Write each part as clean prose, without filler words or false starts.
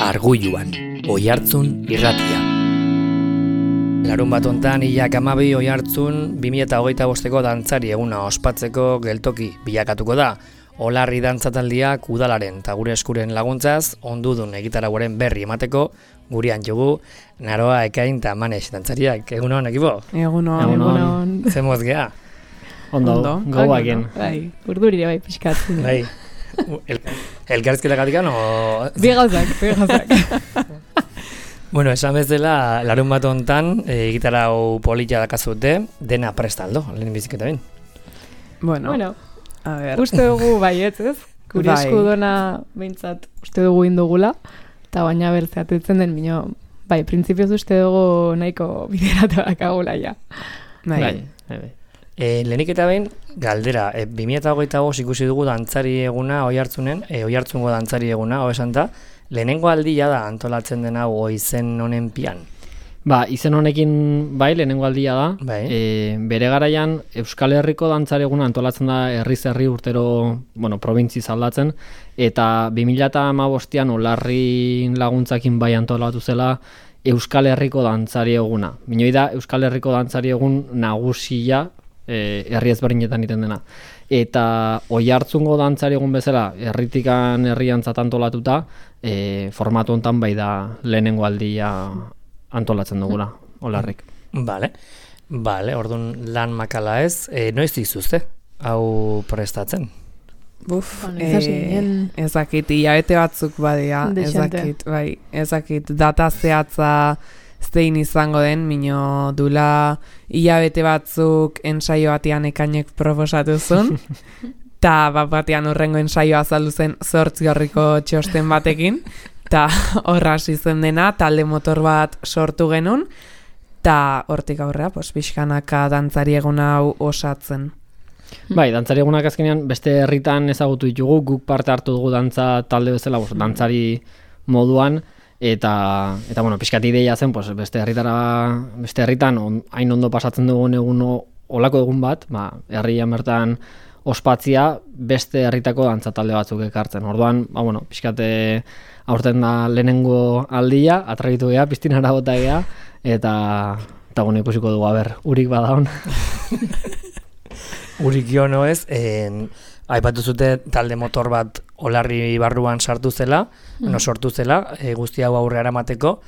Arguiluan, Oiartzun irratia. Larun bat hontan, Ilak 12 Oiartzun 2025ko dantzari eguna ospatzeko geltoki bilakatuko da. Olarri dantzataldiak udalaren eta gure eskuren laguntzaz, ondudun egitarauaren berri emateko, gurean jugu, Naroa, Ekain eta Manex dantzariak. Egunon, ekipo? Egunon. Zemoz geha? Ondo. Gauaken. Bai, urdurire bai pixkatzen. Bai. Elkarrizketagatik o... Bi gauzak. Bueno, esan bezala, larun bat hontan, egitarau polita dakazute, dena prestaldo, lehen biziketa bin. Bueno, a ver. Uste dugu baietz, ez? Gure eskudona behintzat uste dugu indugula, eta baina bertzeatetzen den bino, bai, printzipioz uste dugu nahiko bideratu dakagula ja. Bai. Lehenik eta behin, galdera, 2025 ikusi dugu dantzari eguna Oiartzunen, Oiartzungo dantzari eguna, esan da, lehenengo aldia da antolatzen dena izen honen pian. Ba, izen honekin bai, lehenengo aldia da. Bai. Bere garaian, Euskal Herriko dantzari eguna antolatzen da herri urtero, probintzi zaldatzen, eta 2015an Olarri laguntzakin bai antolatu zela Euskal Herriko dantzari eguna. Binoi da, Euskal Herriko dantzari egun nagusia, herri ezberdinetan iten dena. Eta Oiartzungo dantzari egun bezala, herritikan herriantzat antolatuta, formatu hontan bai da lehenengo aldia antolatzen dugula, Olarrik. Bale, orduan lan makala ez, noiz dizuzte, hau prestatzen? Ezakit, hilabete batzuk badia, ezakit, data zehatza zein izango den, mino dula hilabete batzuk ensaio batean Ekainek proposatu zuen, eta batean horrengo ensaioa azaldu zen 8 horriko txosten batekin, eta horra hasi zen dena, talde motor bat sortu genuen, eta hortik aurrera, pixkanaka dantzari eguna hau osatzen. Bai, dantzari egunak azkenean beste herritan ezagutu ditugu, guk parte hartu dugu dantza talde bezala, dantzari moduan, eta pixkat ideia zen, beste herritan hain ondo pasatzen dugun egun olako egun bat, herrian bertan ospatzia beste herritako dantza talde batzuk ekartzen. Orduan, pixkat aurten da lehenengo aldia, atragitu geha, piztinara bota geha, eta ikusiko dugu, urik badaun. Urik jo ez, aipatu zute talde motor bat Olarri barruan sortu zela, guzti hau aurrera eramateko.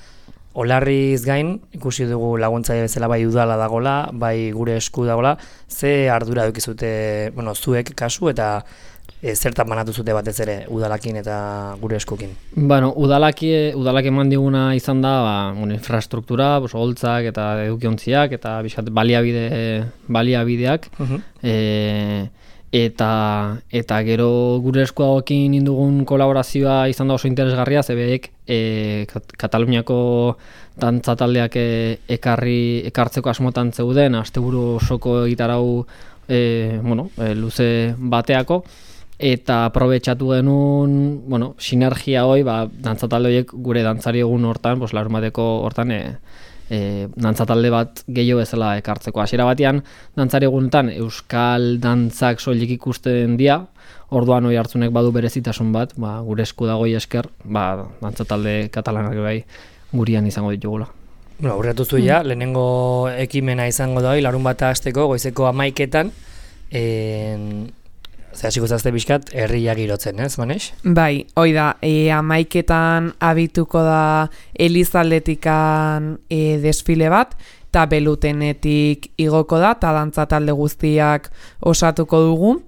Olarriz gain, ikusi dugu laguntzaile bezala bai udala dagola, bai gure esku dagola, ze ardura dukizute, zuek kasu eta zertan banatu zute batez ere udalakin eta gure eskukin? Udalak eman diguna izan da, infrastruktura, holtzak eta edukiontziak eta baliabideak, eta gero gure eskuagokin indugun kolaborazioa izan da oso interesgarria, zebeek Kataluniako dantzataldeak ekartzeko asmotan zeuden, asteburu osoko egitarau luze bateako, eta aprobetxatu genuen sinergia hoi, dantzatalde horiek gure dantzari egun hortan, larun bateko hortan dantzatalde bat gehiago bezala ekartzeko. Hasiera batean, dantzari egunetan euskal dantzak soilik ikusten dira, orduan Oiartzunek badu berezitasun bat, gure esku dagoi esker, dantzatalde katalanak bai gurian izango ditugula. Aurreatu zu lehenengo ekimena izango da, larun bat hasteko goizeko 11etan, hasiko zazte bizkat, herria girotzen, ez, Manex? Bai, hoi da, 11etan abituko da Elizaldetikan desfile bat, eta Belutenetik igoko da, eta dantza talde guztiak osatuko dugu,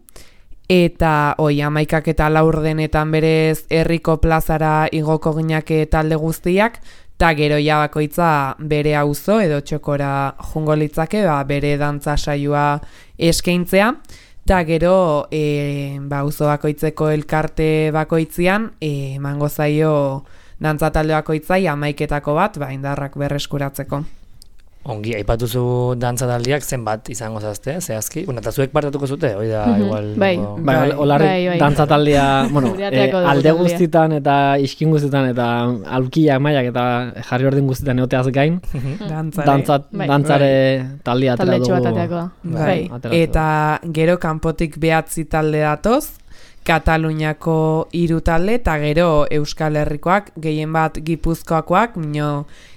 eta 11ak eta 4 berez herriko plazara igoko ginake talde guztiak, eta gero bakoitza bere auzo edo txokora jungo litzake, bere dantza saioa eskaintzea, eta gero auzo bakoitzeko elkarte bakoitzian emango zaio dantza talde bakoitzai 11etako bat indarrak berreskuratzeko. Ongi, aipatu zu dantza taldeak zenbat izango zazte, zehazki? Eta zuek partatuko zute, hoi da igual... Olarri dantza taldea, alde guztitan eta iskin guztitan eta aulkiak maiak eta jarri ordin guztitan egoteaz gain, dantzare taldea atera dugu. Eta gero kanpotik 9 talde datoz, Kataluniako 3 talde, eta gero Euskal Herrikoak, gehien bat Gipuzkoakoak,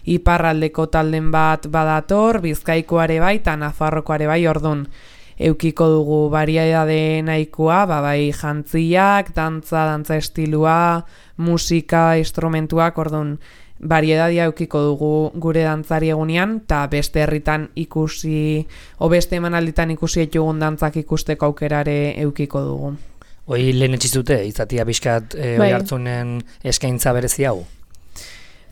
iparraldeko talden bat badator, Bizkaikoare bai, eta Nafarrokoare bai, ordun eukiko dugu variedade nahikoa, bai jantziak, dantza estilua, musika, instrumentuak, ordun variedadia eukiko dugu gure dantzari egunean, eta beste herritan ikusi, o beste emanalditan ikusi etugun dantzak ikusteko aukerare eukiko dugu. Hoi lehen etxizute, izatia bizkat hoi hartzunen eskaintza berezi hau?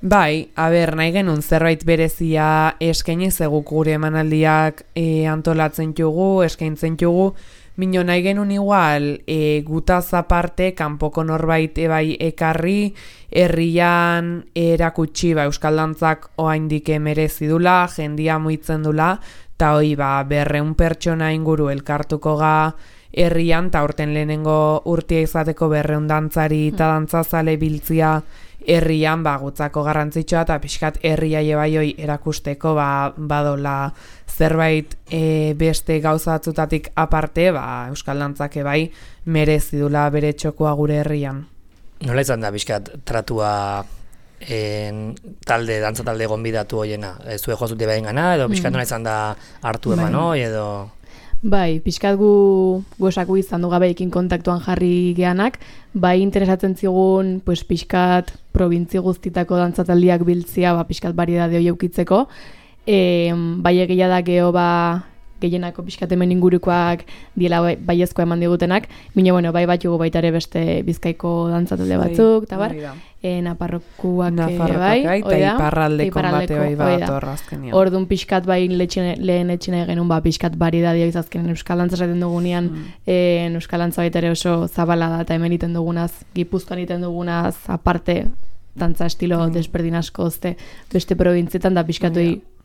Bai, nahi genuen zerbait berezia eskainiz eguk gure emanaldiak antolatzen jugu, eskaintzen jugu, mino nahi genuen igual gutaz aparte, kanpoko norbait bai ekarri, herrian erakutsi Euskal Dantzak oaindik merezi dula, jendia muitzen dula, eta hoi 200 pertsona inguru elkartuko ga herrian, eta urten lehenengo urtia izateko 200 dantzari eta dantzazale biltzia herrian gutzako garrantzitsua, eta pixkat herria jebaioi erakusteko badola zerbait beste gauzatzutatik aparte, Euskal Dantzak bai merezi dula bere txokoa gure herrian. Nola izan da pixkat tratua dantza talde gonbidatu hoiena? Zue jozute behin gana, edo pixkat nola izan da hartu eman hoi, edo... Bai, pixkat gu esaku izan du gabeekin kontaktuan jarri geanak, bai interesatzen zigun pixkat probintzi guztitako dantzataldiak biltzia, pixkat variedade hori eukitzeko, bai egia da geho gehienako pixkat hemen ingurukoak diela baiezkoa eman digutenak, bine bai batxugu baita ere beste Bizkaiko dantzatalde batzuk, eta bar, Nafarrokoak bai, eta iparraldeko bate bai badator azkenean. Orduan pixkat bai lehen etxina genuen pixkat variedadea izazkenen Euskal Dantza esaten dugunean, Euskal Dantza baita ere oso zabala da, eta hemen iten dugunaz, Gipuzkoan iten dugunaz, aparte, dantza estilo desberdin asko beste probintzietan da pixkatu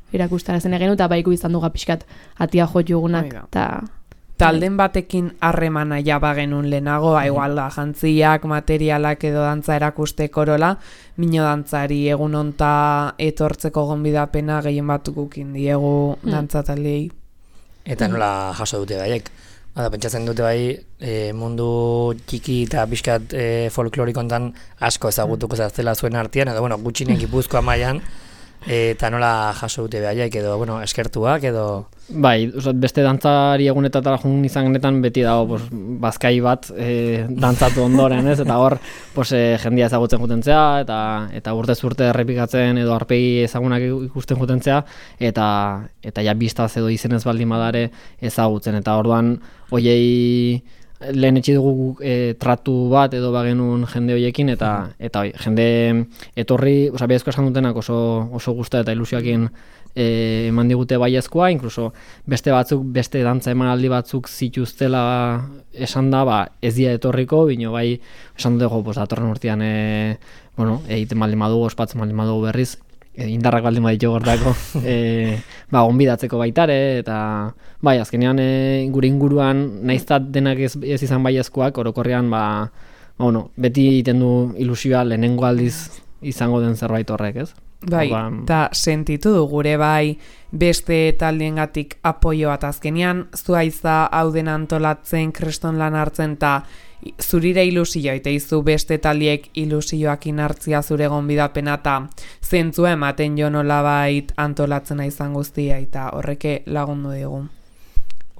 erakustarazen egenu, eta baiku izan duga pixkat atia jotugunak. Talden batekin harremana jabagenun lehenago, igual da, jantziak, materialak edo dantza erakusteko orola, mino dantzari egun onta etortzeko gonbidapena gehien batukukin diegu dantzataldei. Eta nola jaso dute baiek? Pentsatzen dute bai, mundu txiki eta pixkat folklorikontan asko ezagutuko zaztela zuen artean, edo gutxinen Gipuzkoa mailan, eta nola jaso dute behaiek, edo eskertuak, edo... Bai, beste dantzari egunetatara jun izan genetan beti dago bazkai bat dantzatu ondoren, ez? Eta hor jendia ezagutzen jutentzea, eta urtez urte errepikatzen edo arpegi ezagunak ikusten jutentzea, eta ja biztaz edo izenez baldin badare ezagutzen, eta orduan hoiei lehen etxi dugu tratu bat edo bagenun jende hoiekin, eta jende etorri, baiezko esan dutenak oso gusta eta ilusioakin eman digute baiezkoa, inkluso beste dantza emanaldi batzuk zituztela esan da, ez dira etorriko, bino bai esan dutego, datorren urtean egiten baldin badugu, ospatzen baldin badugu berriz, indarrak baldin baditu gortako gonbidatzeko baitare, eta bai, azkenean gure inguruan naiztat denak ez izan baiezkoak, orokorrean beti egiten du ilusioa lehenengo aldiz izango den zerbait horrek, ez? Bai, eta sentitu du gure bai beste taldiengatik apoio bat azkenean, zuaiza hau den antolatzen, kreston lan hartzen, eta zurire ilusioa, eta izu beste taldiek ilusioakin hartzia zure gonbidapena, eta zentzua ematen jo nolabait antolatzena izan guztia, eta horreke lagundu digu.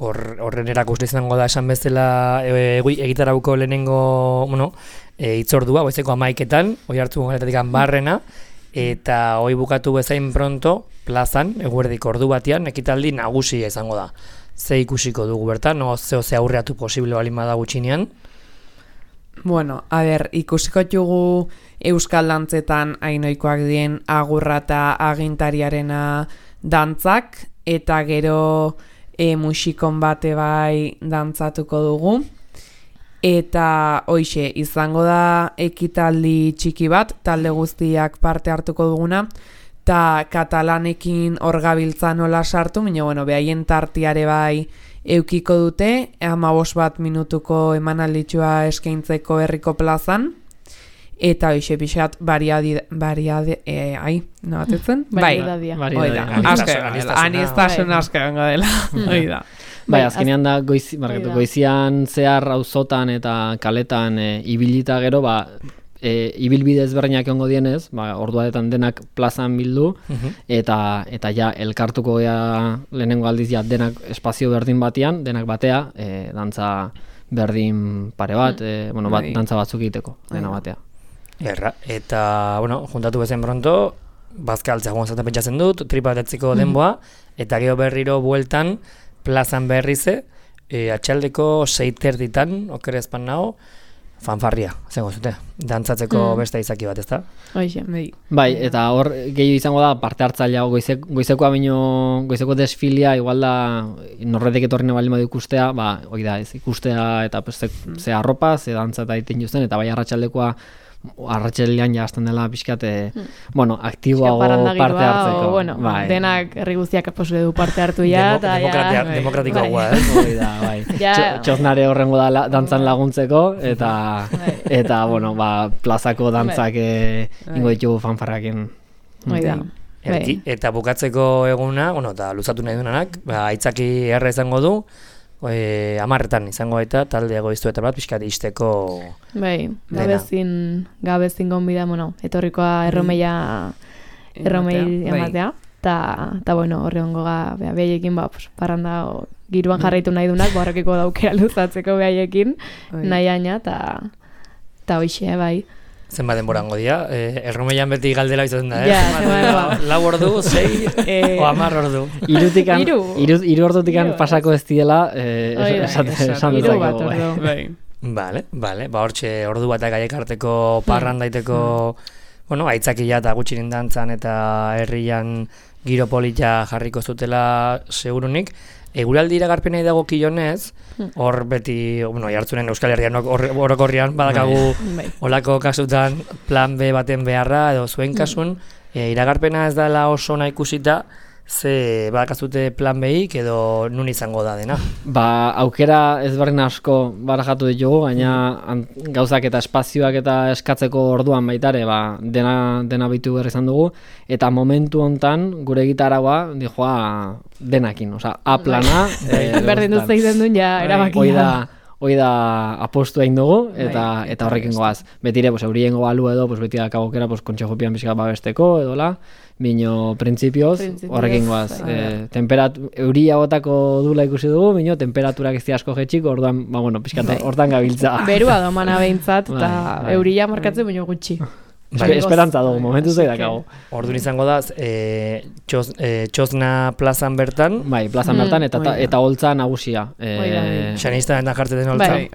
Horren erakuste izango da esan bezala egitarauko lehenengo hitzordua, goizeko 11etan, hoi hartu galetatik barrena, eta hoi bukatu bezain pronto plazan, eguerdiko ordu batean, ekitaldi nagusia izango da. Ze ikusiko dugu bertan, ze aurreatu posible balin bada gutxinean? Bueno, ikusiko dugu Euskal Dantzetan hainoikoak dien agurra eta agintariarena dantzak, eta gero musikon bate bai dantzatuko dugu. Eta hoixe, izango da ekitaldi txiki bat, talde guztiak parte hartuko duguna, eta katalanekin hor gabiltza nola sartu, behaien tartiare bai eukiko dute, 15 minutuko emanalditxua eskaintzeko herriko plazan, eta hoixe pixat Variadadia. Anistasun asko gango dela, Bai, azkenean da goizian zehar auzotan eta kaletan ibilita gero, ibilbide ezberdinak egongo dienez, orduaretan denak plazan bildu, eta ja elkartuko lehenengo aldiz ja denak espazio berdin batean, denak batea, dantza berdin pare bat, dantza batzuk egiteko, dena batea. Eta, juntatu bezen pronto, bazkaltzea joan zaten pentsatzen dut, tripa batetziko denboa, eta gero berriro bueltan, plazan berrize, atxaldeko 6:30, okerezpan nago, fanfarria, zengo zute, dantzatzeko beste izaki bat, ezta? Bai, eta hor gehiago izango da parte hartzailea goizeko desfilia, igual da norretek etorri baldin badu ikustea, hori da ez ikustea eta ze arropa, ze dantza eta egiten justen, eta bai arratsaldekoa arratsaldean ja hasten dela pixkat, aktiboago parte hartzeko. Denak herri guztiak posible du parte hartu ja. Demokratikoagoa, bai. Txosnare horrengo da dantzan laguntzeko, eta plazako dantzak ingo ditugu fanfarrakin. Eta bukatzeko eguna, eta luzatu nahi duenak, aitzaki erra izango du, 10 izango baita talde egoiztu eta bat pixkat izteko gabezin gonbida, etorrikoa erromei ematea, eta horre hongo behaiekin parranda giruan jarraitu nahi dunak, horrekiko daukera luzatzeko behaiekin nahi aina, eta hoxe, bai. Zenbat denborango dira, erromeian beti galdera izaten da, 4 ordu, 6 o 10 ordu. Hiru ordutikan pasako ez diela, esan duzako. Bale, hortxe ordu batak aiekarteko parrandaiteko, aitzakia eta gutxirin dantzan eta herrian giro polita jarriko zutela segurunik. Eguraldi iragarpenei dagokionez, hor beti, jartzunen Euskal Herrian orokorrian badakagu olako kasutan plan B baten beharra, edo zuen kasun, iragarpena ez dela oso nahi ikusita, ze badakazute plan B-ik edo nun izango da dena? Aukera ezberdin asko barajatu ditugu, gaina gauzak eta espazioak eta eskatzeko orduan baitare, dena bitu behar izan dugu, eta momentu hontan gure gitaragoa dijoa denakin, A plana. Berdin duz egiten duen ja erabakia. Hoi da apostu egin dugu, eta horrekin goaz. Betire, eurien goalu edo, beti dakagokera, kontxejopian bizka babesteko, edola, bino printzipioz, horrekin goaz. Euria botako dula ikusi dugu, bino temperaturak ez asko jetxik, orduan, pixkat, hortan gabiltza. Berua domana behintzat, eta euria markatzen bino gutxi. Esperantza dugu, momentu zei dakago. Orduan izango da, Txosna plazan bertan. Bai, plazan bertan, eta holtza nagusia. Xanista eta jartzen den holtza.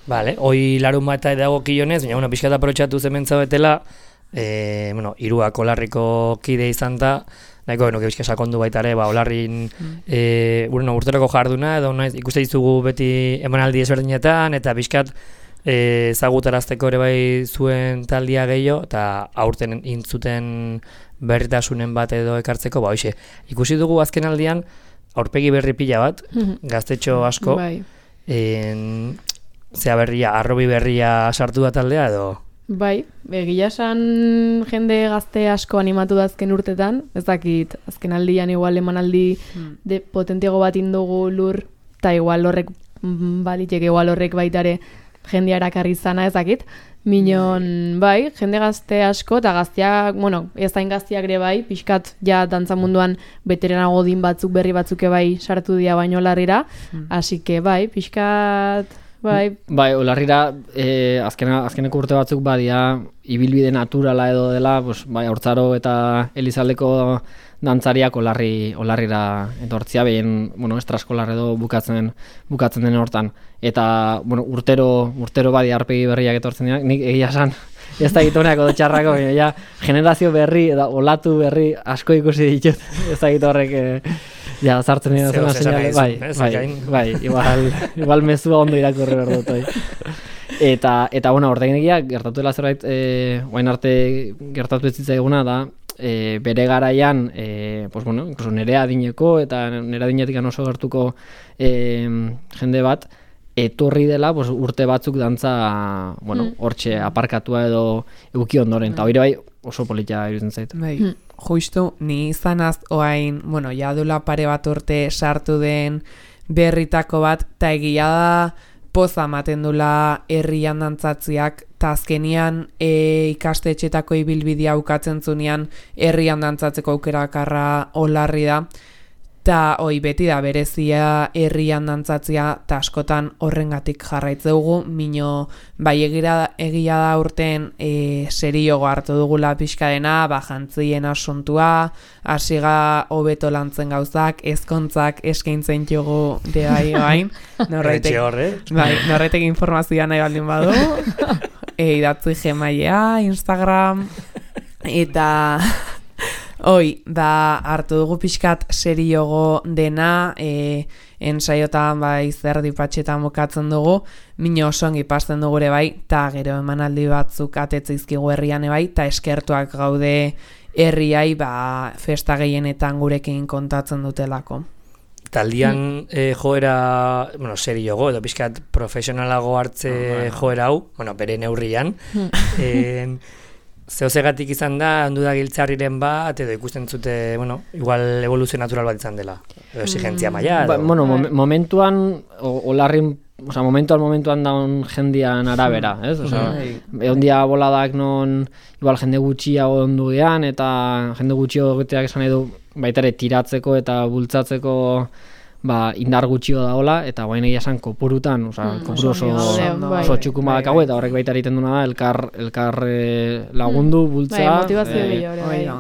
Bale, hoi larun bat eta edagokionez, baina pixkat aprotxatu zementza betela, Irua Olarriko kide izan da, nahiko bizka sakondu baita ere, Olarrin urteroko jarduna, edo ikuste dizugu beti emanaldi ezberdinetan, eta bizkat ezagutarazteko ere bai zuen taldia gehiago, eta aurten intzuten berritasunen bat edo ekartzeko, ikusi dugu azken aldian, aurpegi berri pila bat, gaztetxo asko, zea berria, arrobi berria sartu da taldea edo? Bai, egia esan jende gazte asko animatu da azken urtetan, ez dakit, azken aldian igual emanaldi potentiago bat indugu lur, eta igual horrek baliteke, igual horrek baitare jendea erakarri zana ezakit, minon, bai, jende gazte asko, eta gazteak, ez hain gazteak ere bai, pixkat, ja, dantza munduan beterenago din batzuk, berri batzuk bai sartu dira baino larrira, así que bai, pixkat, bai. Bai, olarrira, azkeneko urte batzuk badia, ibilbide naturala edo dela, hortzaro eta Elizaldeko dantzariak olarrira etortzia, behien, estraskolar edo bukatzen den hortan. Eta, urtero badi arpegi berriak etortzen dira, nik egia esan, ez da gitoneako txarrako, ja, generazio berri, eta olatu berri asko ikusi ditut, ez da gitorrek, ja, zartzen dira zena seinale, bai, igual mezua ondo irakurri behar dut, Eta, ordein egia, gertatu dela zerbait, oain arte gertatu ez zitzaiguna da, bere garaian, incluso nire adineko eta nire adinetik oso gertuko jende bat, etorri dela urte batzuk dantza, hortxe aparkatua edo euki ondoren. Eta hori bai, oso politia iruditzen zait. Bai, justu, ni izanaz oain, bueno, jadula pare bat urte sartu den berritako bat, eta egia da poza ematen dula herrian dantzatziak, eta azkenian ikastetxetako ibilbidea ukatzen zunean herrian dantzatzeko aukerakarra Olarri da, eta beti da berezia herrian dantzatzia, eta askotan horrengatik jarraitzeugu, mino bai egia da urten seriogo hartu dugula pixka dena, jantzien asuntua, hasiga hobeto lantzen gauzak, ezkontzak eskaintzen jogu de bain. Norretek informazioa nahi baldin badu. Idatzi Gmailea, Instagram, eta hartu dugu pixkat seriogo dena, ensaiotan zerdi patxetan bukatzen dugu, mino oso ongi pasten dugu ere bai, eta gero emanaldi batzuk atetzeizkigu herrian bai, eta eskertuak gaude herriai festa gehienetan gurekin kontatzen dutelako. Taldian joera, seriogo, edo pixkat profesionalago hartze joera hau, bere neurrian, zehozegatik izan da, ondu da giltzarriren bat, edo ikusten zute, igual evoluzio natural bat izan dela, edo exigentzia maila. Momentuan, Olarrin, momentuan daun jendian arabera, ez? Egon dia boladak non, igual jende gutxiago ondu gean, eta jende gutxiago geteak esan edo, baitare tiratzeko eta bultzatzeko indar gutxio da hola, eta guain egia esan kopurutan, kopuru oso txukun badakago, eta horrek baita egiten duna da, elkar lagundu, bultza,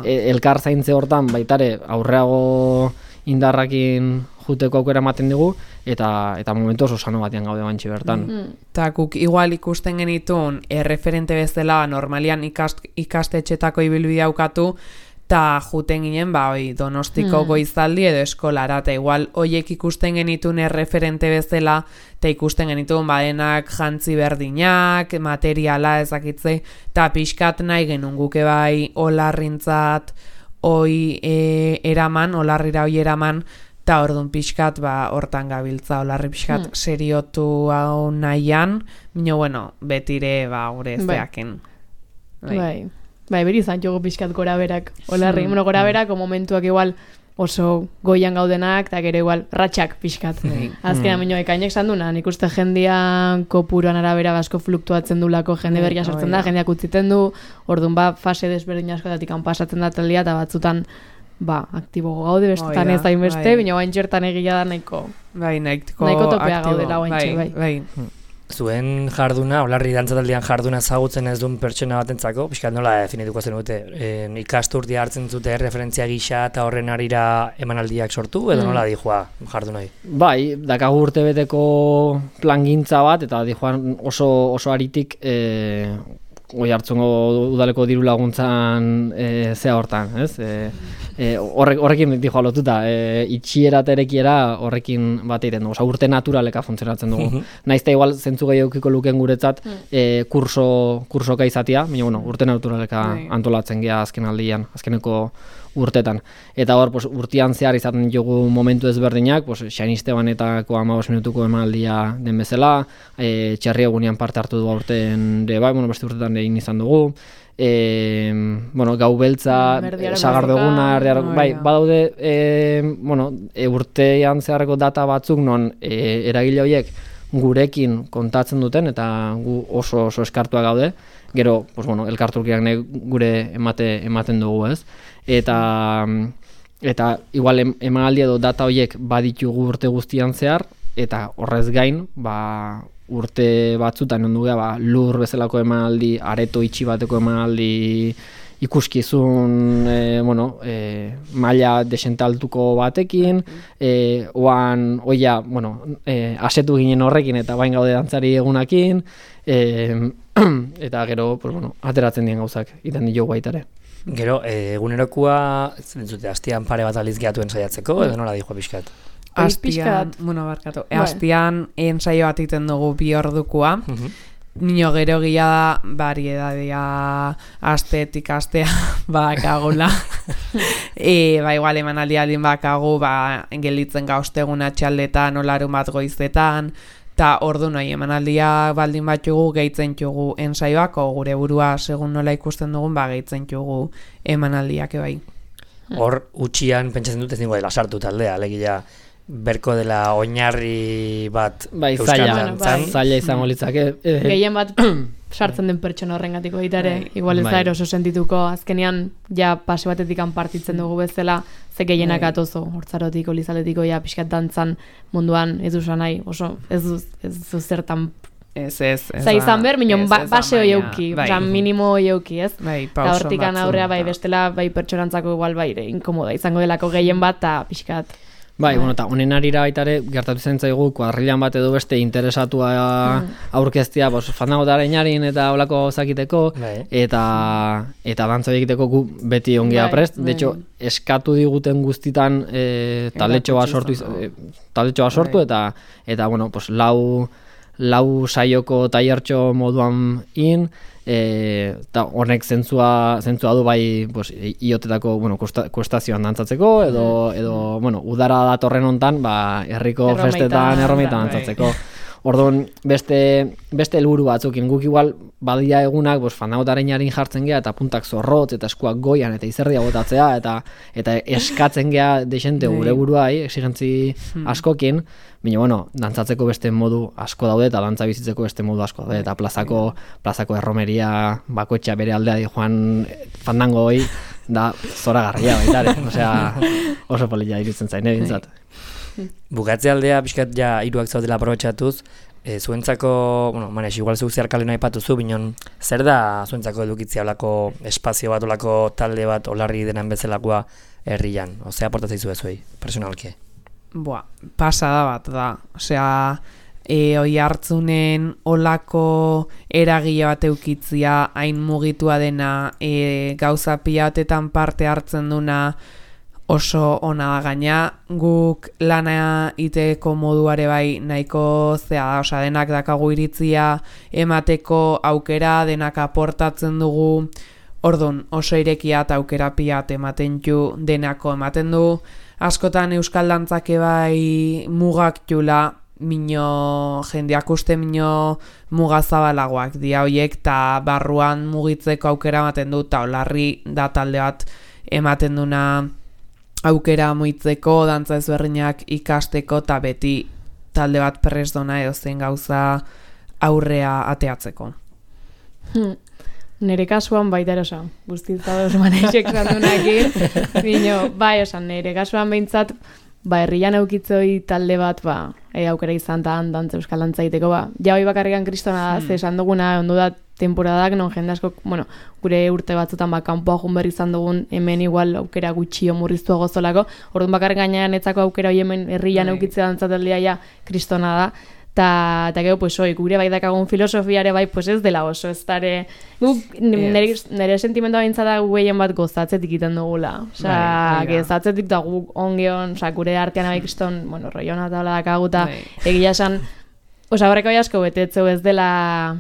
elkar zaintze hortan baitare aurreago indarrakin juteko aukera ematen dugu, eta momentu oso sano batean gaude bantxe bertan. Eta guk igual ikusten genitun erreferente bezala normalian ikastetxetako ibilbidea aukatu, eta juten ginen, Donostiko goizaldi edo eskolara, eta igual hoiek ikusten genitun erreferente bezala, eta ikusten genitun denak jantzi berdinak, materiala ezakitze, eta pixkat nahi genuen guke Olarrintzat eraman, Olarrira eraman, eta orduan pixkat hortan gabiltza, Olarri pixkat seriotu hau nahian, betire gure zeaken. Beri izan jogo pixkat gora berak, Olarri, gora berako momentuak igual oso goian gaudenak, eta gero igual ratxak pixkat. Azkenean ekainek sanduna, nik uste jendian kopuruan arabera asko fluktuatzen dulako, jende berria sortzen da, jendeak utziten du, orduan fase desberdin askotatik pasatzen da taldia, eta batzutan aktibo gaude, bestetan ez hainbeste, baina guaintxertan egia da nahiko topea gaudela guaintxe, bai. Zuen jarduna, Olarri dantzataldian jarduna ezagutzen ez duen pertsona batentzako, pixkat nola definituko zen dute, ikasturtia hartzen zute referentzia gisa eta horren arira emanaldiak sortu, edo nola dijoa jardunai? Bai, dakagu urtebeteko plangintza bat, eta dijoan oso aritik Oiartzungo udaleko diru laguntzan zea hortan, ez? Horrekin dijoa lotuta, itxiera eta erekiera horrekin bat egiten dugu, urte naturaleka funtzionatzen dugu. Naizta igual zentzu gehiaukiko luken guretzat kursoka izatea, baina urte naturaleka antolatzen gea azkeneko urtetan. Eta hor, urtean zehar izaten ditugu momentu ezberdinak, Xain Estebanetako 15 minutuko emanaldia den bezala, txarri egunean parte hartu du aurten, beste urtetan egin izan dugu, gau beltza, sagardoguna, badaude, urtean zeharreko data batzuk non eragile horiek gurekin kontatzen duten, eta gu oso eskartua gaude, gero, elkartrukiak gure ematen dugu, ez? Eta igual emanaldi edo data horiek baditugu urte guztian zehar, eta horrez gain, urte batzutan ondu geha, lur bezalako emanaldi, areto itxi bateko emanaldi ikuskizun, maila desentaltuko batekin, asetu ginen horrekin eta bain gaude dantzari egunakin, eta gero, ateratzen dien gauzak, iten diogu baitare. Gero, egunerokoa, hastian pare bat aliz gehatuen saiatzeko, edo nola dijoa pixkat? Hastian ensaio bat iten dugu 2 ordukoa, nio gero gila da, variedadea astetik astea bakagula. Igual emanaldi aldin bakagu, gelitzen gauztegun atxaldetan, olarun bat goizetan, Ta ordu nahi emanaldia baldin bat jugu gehitzen jugu ensaioak, o gure burua segun nola ikusten dugun, gehitzen jugu emanaldiak ebai. Hor, utxian pentsatzen dut ez ningu dela sartu taldea, alegia berko dela oinarri bat euskal dantzan. Zaila izango litzake. Gehien bat sartzen den pertsona horrengatiko ditare, igual ez da eroso sentituko, azkenean ja pase batetik partitzen dugu bezala, ze gehienak atozo, hortzarotik, olizaletiko, ja pixkat dantzan munduan ez duzu nahi, oso ez du zertan izan ber, minon base hoi euki, minimo hoi euki, ez? Eta hortikan aurrea bestela pertsonantzako igual inkomoda izango delako gehien bat, eta pixkat. Eta honen arira baitare, gertatu zen zaigu, kuadrilan bat edo beste interesatua aurkeztia, fandangotaren jarin eta holako zakiteko, eta dantza egiteko gu beti ongea prest. De hecho, eskatu diguten guztitan taldetxo bat sortu, eta lau saioko tailertxo moduan eta honek zentzua du bai iotetako kustazioan dantzatzeko edo udara datorren hontan herriko festetan errometan dantzatzeko. Orduan beste helburu batzukin guk igual badia egunak fandangotaren jarin jartzen gea eta puntak zorrotz eta eskuak goian eta izerdia botatzea eta eskatzen gea deixente gure buruai exigentzi askokin. Baina, dantzatzeko beste modu asko daude eta dantza bizitzeko beste modu asko daude eta plazako erromeria bakoetxea bere aldea di joan fandango hoi da zoragarria baitare, oso polita iruditzen zain, bintzat. Bukatze aldea, pixkat ja hiruak zaudela aprobetxatuz, zuentzako, Manes, igual zuk zeharkalena aipatuzu, binon, zer da zuentzako edukitzea olako espazio bat, olako talde bat, olarri denan bezalakoa herrian? Ose, aportatzei zu ezuei, personalke? Pasada bat da, oi hartzunen olako eragile bat eukitzia, hain mugitua dena, gauza pilatetan parte hartzen duna, oso ona da gaina, guk lana iteko moduare bai nahiko zea da, denak dakagu iritzia emateko aukera, denak aportatzen dugu, orduan oso irekia eta aukera pilat ematen ju denako ematen du, askotan euskal dantzake bai mugak jula, jendeak uste mugazabalagoak dia hoiek, eta barruan mugitzeko aukera ematen du, eta olarri da talde bat ematen duna aukera muitzeko, dantza ezberdinak ikasteko, eta beti talde bat perrez dona edo zen gauza aurrea ateatzeko. Nere kasuan baita erosa, guztitzadoz manexek zandunakin, nere kasuan behintzat, herrian eukitzoi talde bat, aukera izan tan dantza euskal dantza egiteko, ja hoi bakarrikan kristona da, esan duguna, ondo da temporadak, non jende asko, gure urte batzutan kanpoa jun berri izan dugun, hemen igual aukera gutxio murriztua gozolako, orduan bakarrik gainean etzako aukera hoi hemen herrian eukitzea dantzataldea ja kristona da, eta gero, gure bai dakagun filosofiare bai, ez dela oso, ez dara, nire sentimendua bintzada gehien bat gozatzetik iten dugula, gozatzetik da guk ongeon, gure artean bai kriston, roiona eta hola dakaguta, egia esan, horreko asko betetzeu ez dela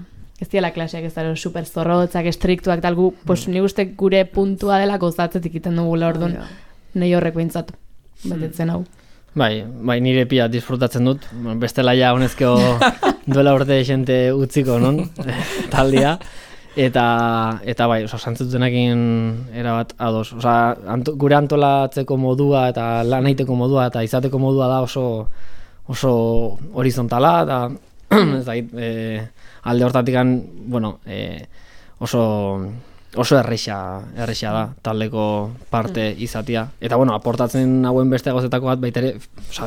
klaseak ez dara super zorrotzak, estriktuak, tal gu, nik uste gure puntua dela gozatzetik iten dugula, orduan, nahi horreko bintzat, betetzen hau. Bai, nire pia disfrutatzen dut, bestela ja honezko duela urte jente utziko, non, taldia, eta bai, santzutenekin erabat ados, gure antolatzeko modua eta lan egiteko modua eta izateko modua da oso horizontala, eta alde hortatikan, oso erreixa da taldeko parte izatia. Eta aportatzen hauen beste gozetako bat baitere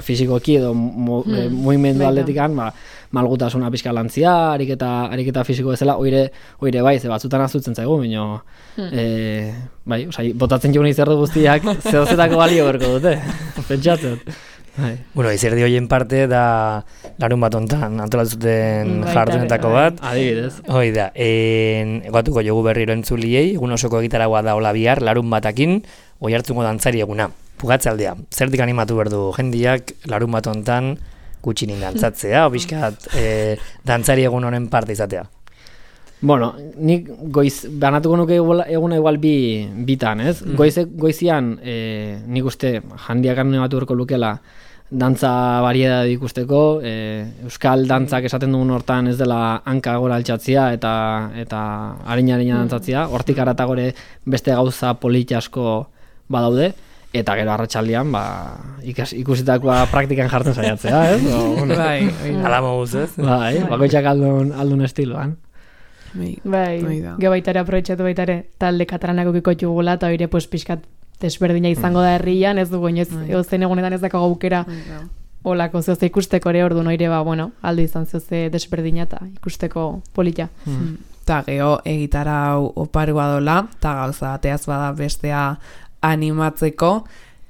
fisikoki edo mugimendu aldetikan malgutasuna pixka lantzia, ariketa fisiko bezala, oire bai, ze batzutan azutzen zaigu, baina botatzen joan izerdu guztiak zehozetako balio berko dute, pentsatzen. Izerdi horien parte da larun bat ontan antolatzuten jardunetako bat. Adibidez. Hoi da, egatuko jogu berriro entzuliei, egun osoko egitaragoa da hola bihar, larun batakin, oi hartzungo dantzari eguna. Pugatzaldea, zertik animatu berdu jendiak larun bat ontan gutxinin dantzatzea, obiskat dantzari egun honen parte izatea. Nik banatuko nuke eguna igual bitan, ez? Goizian nik uste jandiak animatu berko lukela dantza variedad ikusteko, euskal dantzak esaten dugun hortan ez dela hanka gora altxatzia eta harina dantzatzia, hortik aratagore beste gauza politi asko badaude, eta gero arratsaldean ikusitakoa praktikan jartzen saiatzea, ez? Bai, ala moduz, ez? Bai, bakoitzak aldun estiloan. Bai, gero baitare aprobetxatu baitare talde katalanako bikotu gula, eta hori pixkat desberdina izango da herrian, ez dugu inoiz, zein egunetan ez dakago aukera olako zeoze ikusteko ere, ordu noire, aldo izan zeoze desberdina eta ikusteko polita. Ta geho egitarau oparua dola, eta gauza bateaz bada bestea animatzeko,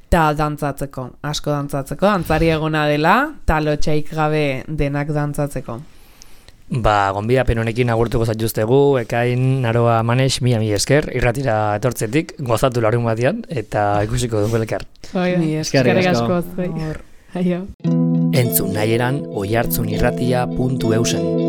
eta dantzatzeko, asko dantzatzeko, dantzari egona dela, eta lotxaik gabe denak dantzatzeko. Gonbidapen honekin agurtuko zaituztegu, Ekain Naroa Manex, mila esker, irratira etortzetik, gozatu larun batian, eta ikusiko dugu elkar. Eskerrik asko. Entzun nahieran oihartzunirratia.eusen.